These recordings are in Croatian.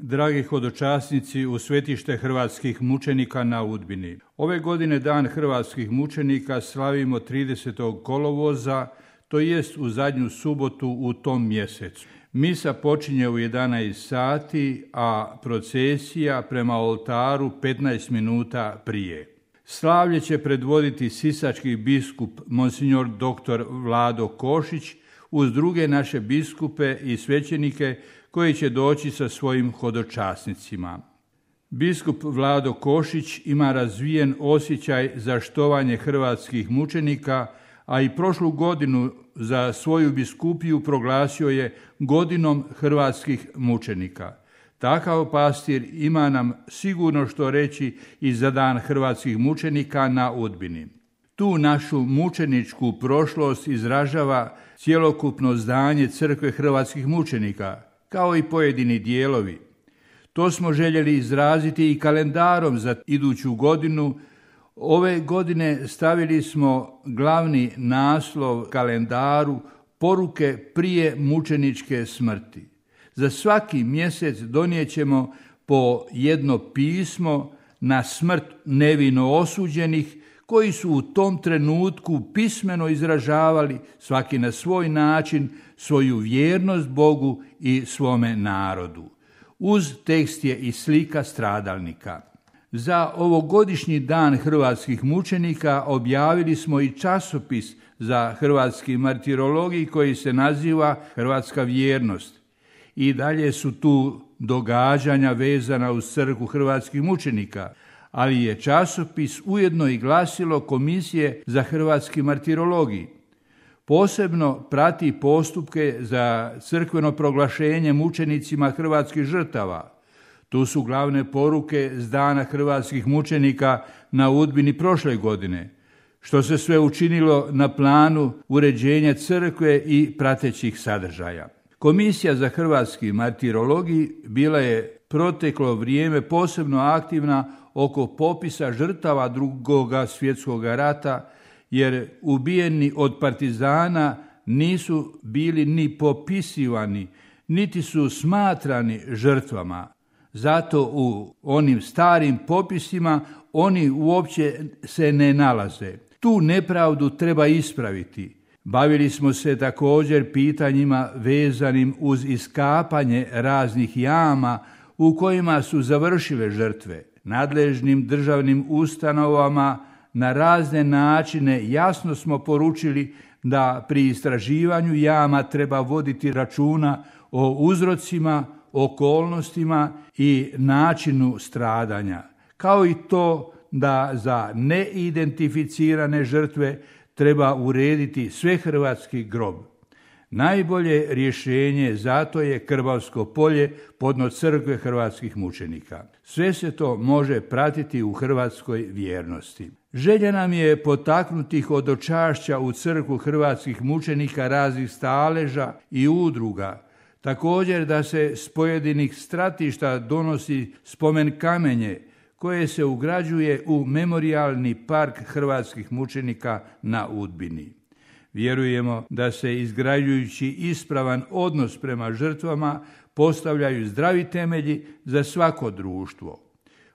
Dragi hodočasnici u svetište hrvatskih mučenika na Udbini. Ove godine Dan hrvatskih mučenika slavimo 30. kolovoza, to jest u zadnju subotu u tom mjesecu. Misa počinje u 11 sati, a procesija prema oltaru 15 minuta prije. Slavlje će predvoditi sisački biskup monsignor dr. Vlado Košić uz druge naše biskupe i svećenike koji će doći sa svojim hodočasnicima. Biskup Vlado Košić ima razvijen osjećaj za štovanje hrvatskih mučenika, a i prošlu godinu za svoju biskupiju proglasio je godinom hrvatskih mučenika. Takav pastir ima nam sigurno što reći i za Dan hrvatskih mučenika na Udbini. Tu našu mučeničku prošlost izražava cjelokupno zdanje Crkve hrvatskih mučenika, kao i pojedini dijelovi. To smo željeli izraziti i kalendarom za iduću godinu. Ove godine stavili smo glavni naslov kalendaru Poruke prije mučeničke smrti. Za svaki mjesec donijet ćemo po jedno pismo na smrt nevino osuđenih koji su u tom trenutku pismeno izražavali, svaki na svoj način, svoju vjernost Bogu i svome narodu. Uz tekst je i slika stradalnika. Za ovogodišnji Dan hrvatskih mučenika objavili smo i časopis za hrvatski martirologij koji se naziva Hrvatska vjernost. I dalje su tu događanja vezana uz crkvu hrvatskih mučenika, ali je časopis ujedno i glasilo Komisije za hrvatski martirologij. Posebno prati postupke za crkveno proglašenje mučenicima hrvatskih žrtava. Tu su glavne poruke s Dana hrvatskih mučenika na Udbini prošle godine, što se sve učinilo na planu uređenja crkve i pratećih sadržaja. Komisija za hrvatski martirologij bila je proteklo vrijeme posebno aktivna oko popisa žrtava Drugoga svjetskog rata, jer ubijeni od partizana nisu bili ni popisivani, niti su smatrani žrtvama. Zato u onim starim popisima oni uopće se ne nalaze. Tu nepravdu treba ispraviti. Bavili smo se također pitanjima vezanim uz iskapanje raznih jama u kojima su završile žrtve. Nadležnim državnim ustanovama na razne načine jasno smo poručili da pri istraživanju jama treba voditi računa o uzrocima, okolnostima i načinu stradanja, kao i to da za neidentificirane žrtve treba urediti svehrvatski grob. Najbolje rješenje zato je Krbavsko polje podno crkve hrvatskih mučenika. Sve se to može pratiti u hrvatskoj vjernosti. Želja nam je potaknuti hodočašća u crkvu hrvatskih mučenika raznih staleža i udruga. Također da se s pojedinih stratišta donosi spomen kamenje koje se ugrađuje u memorijalni park hrvatskih mučenika na Udbini. Vjerujemo da se izgrađujući ispravan odnos prema žrtvama postavljaju zdravi temelji za svako društvo.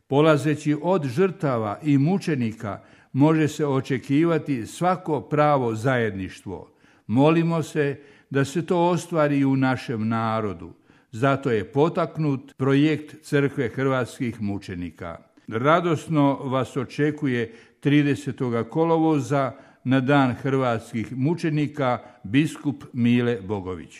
Polazeći od žrtava i mučenika može se očekivati svako pravo zajedništvo. Molimo se da se to ostvari i u našem narodu. Zato je potaknut projekt Crkve hrvatskih mučenika. Radosno vas očekuje 30. kolovoza na Dan hrvatskih mučenika biskup Mile Bogović.